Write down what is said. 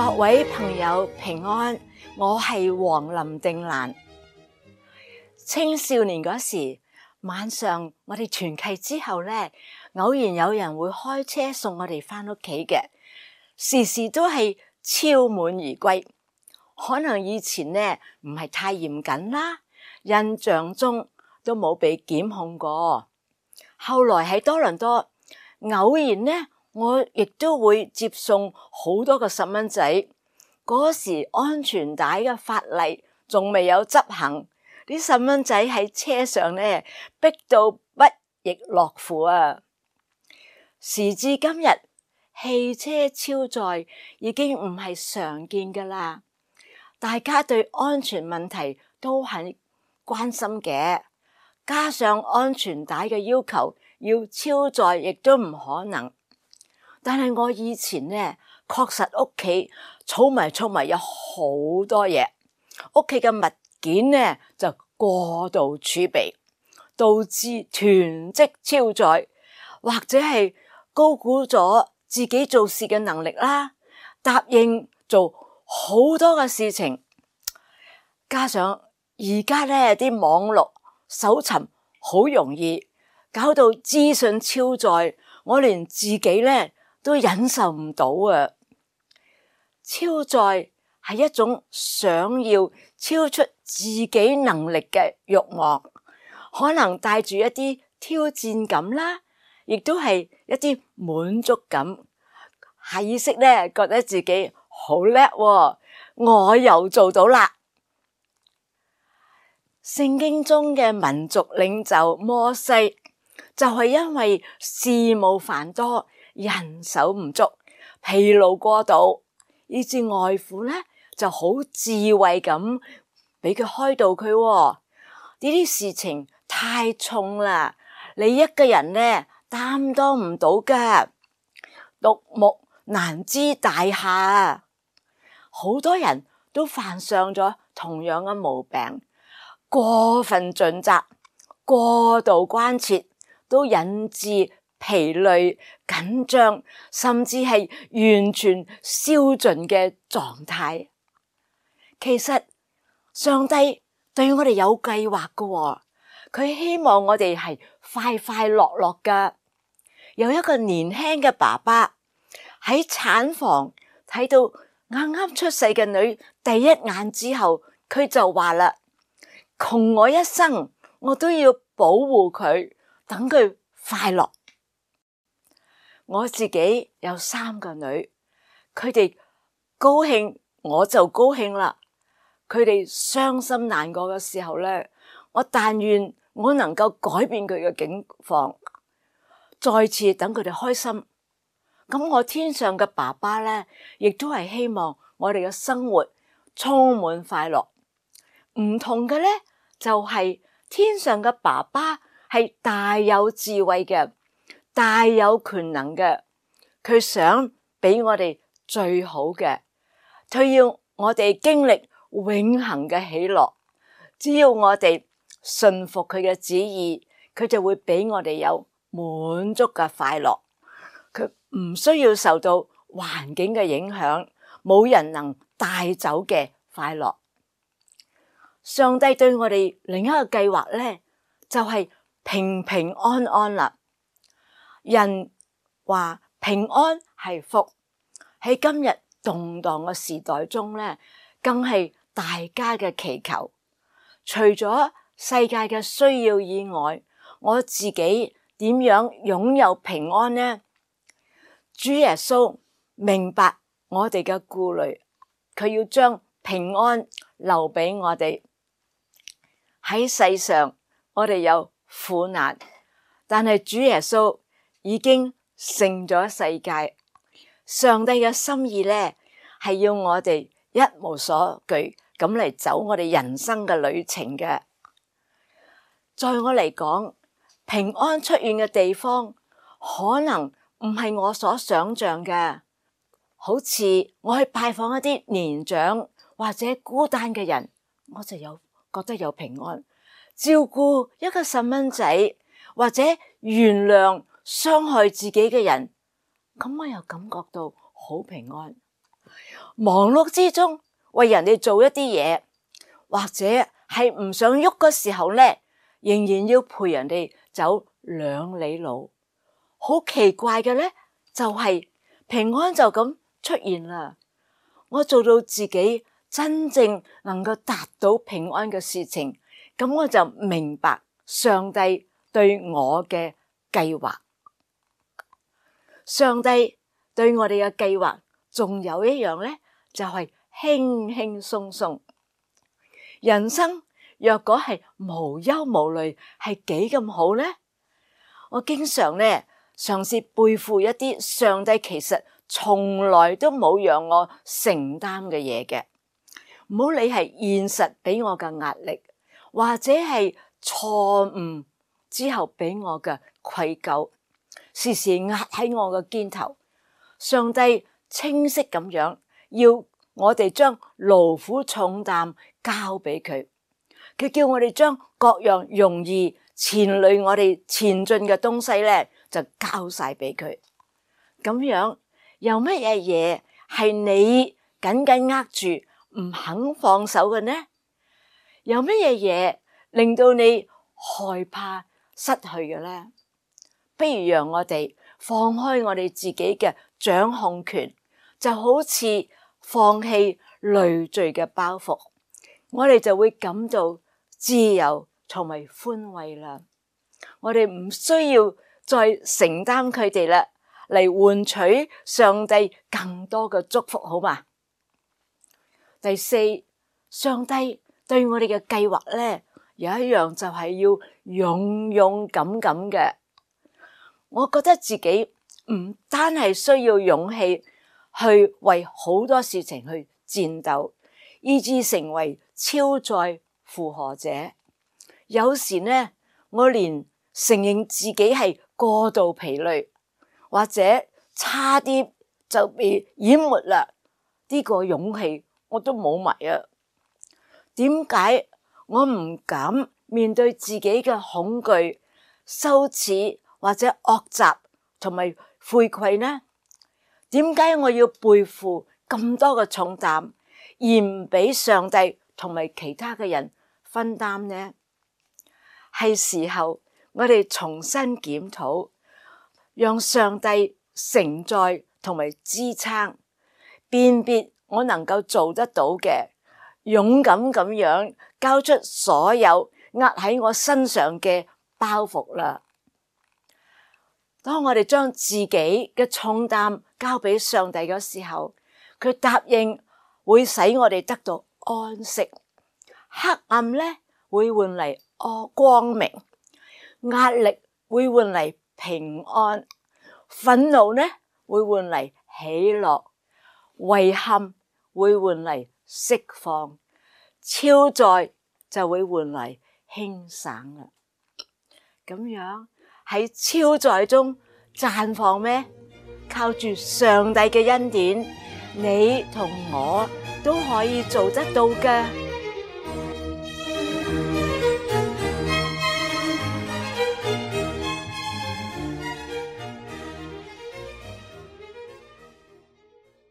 各位朋友平安，我係黃林定蘭。青少年嗰時，晚上我哋團契之後咧，偶然有人會開車送我哋翻屋企嘅，時時都係超滿而歸。可能以前咧唔係太嚴謹啦，印象中都冇被檢控過。後來喺多倫多，偶然咧我亦都會接送好多個細蚊仔。嗰時安全帶嘅法例仲未有執行，啲細蚊仔喺車上咧逼到不亦樂乎啊！時至今日，汽車超載已經唔係常見噶啦，大家對安全問題都很關心嘅，加上安全帶嘅要求要超載亦都唔可能。但係我以前咧確實屋企儲埋有好多嘢，屋企嘅物件咧就過度儲備，導致囤積超載，或者係高估咗自己做事嘅能力啦，答應做好多嘅事情，加上而家咧啲網絡搜尋好容易，搞到資訊超載，我連自己咧都忍受唔到啊！超載係一種想要超出自己能力嘅慾望，可能帶住一啲挑戰感啦，亦都係一啲滿足感，下意識咧覺得自己好叻喎，我又做到啦。聖經中嘅民族領袖摩西就係因為事務繁多，人手唔足，疲勞過度，以致外父咧就好智慧咁俾佢開導佢喎。呢啲事情太重啦，你一個人咧擔當唔到噶，獨木難支大廈。好多人都犯上咗同樣嘅毛病，過分盡責、過度關切，都引致疲累、緊張，甚至係完全燒盡嘅狀態。其實上帝對我哋有計劃㗎喎，佢希望我哋係快快樂樂㗎。有一個年輕嘅爸爸喺產房睇到啱啱出世嘅女第一眼之後，佢就話啦：窮我一生，我都要保護佢，等佢快樂。我自己有3個女，佢哋高興我就高興啦。佢哋傷心難過嘅時候咧，我但願我能夠改變佢嘅境況，再次等佢哋開心。咁我天上嘅爸爸咧，亦都係希望我哋嘅生活充滿快樂。唔同嘅咧，就係天上嘅爸爸係大有智慧嘅，大有權能嘅，佢想俾我哋最好嘅，佢要我哋經歷永恆嘅喜樂。只要我哋順服佢嘅旨意，佢就會俾我哋有滿足嘅快樂。佢唔需要受到環境嘅影響，冇人能帶走嘅快樂。上帝對我哋另一個計劃咧，就係平平安安啦。人話平安係福，喺今日動盪嘅時代中咧，更係大家嘅祈求。除咗世界嘅需要以外，我自己點樣擁有平安呢？主耶穌明白我哋嘅顧慮，佢要將平安留俾我哋。喺世上我哋有苦難，但係主耶穌已經勝咗世界。上帝嘅心意咧，係要我哋一無所懼咁嚟走我哋人生嘅旅程嘅。在我嚟講，平安出現嘅地方可能唔係我所想象嘅，好似我去拜訪一啲年長或者孤單嘅人，我就覺得有平安；照顧一個細蚊仔或者原諒傷害自己嘅人，咁我又感覺到好平安。忙碌之中為人哋做一啲嘢，或者係唔想喐嘅時候咧，仍然要陪人哋走2里路。好奇怪嘅咧，就係平安就咁出現啦。我做到自己真正能夠達到平安嘅事情，咁我就明白上帝對我嘅計劃。上帝對我哋嘅計劃仲有一樣咧，就係輕輕鬆鬆。人生若果係無憂無慮，係幾咁好咧？我經常咧嘗試背負一啲上帝其實從來都冇讓我承擔嘅嘢嘅。唔好理係現實俾我嘅壓力，或者係錯誤之後俾我嘅愧疚，時時壓喺我嘅肩頭。上帝清晰咁樣要我哋將勞苦重擔交俾佢，佢叫我哋將各樣容易纏累我哋前進嘅東西咧，就交晒俾佢。咁樣有乜嘢嘢係你緊緊握住唔肯放手嘅呢？有乜嘢嘢令到你害怕失去嘅咧？不如讓我哋放開我哋自己嘅掌控權，就好似放棄累贅嘅包袱，我哋就會感到自由同埋寬慰啦。我哋唔需要再承擔佢哋啦，嚟換取上帝更多嘅祝福，好嘛？第四，上帝對我哋嘅計劃咧，有一樣就係要勇勇敢敢嘅。我覺得自己唔單係需要勇氣去為好多事情去戰鬥，以致成為超載負荷者。有時呢，我連承認自己係過度疲累，或者差啲就被淹沒啦，呢個勇氣我都冇埋啊！點解我唔敢面對自己嘅恐懼、羞恥或者惡習同埋悔愧呢？點解我要背負咁多嘅重擔，而唔俾上帝同埋其他嘅人分擔呢？係時候我哋重新檢討，讓上帝承載同埋支撐，辨別我能夠做得到嘅，勇敢咁樣交出所有壓喺我身上嘅包袱啦。當我哋將自己嘅重擔交俾上帝嘅時候，佢答應會使我哋得到安息，黑暗咧會換嚟光明，壓力會換嚟平安，憤怒呢會換嚟喜樂，遺憾會換嚟釋放，超載就會換嚟輕省啦。咁樣喺超載中綻放咩？靠住上帝嘅恩典，你同我都可以做得到嘅。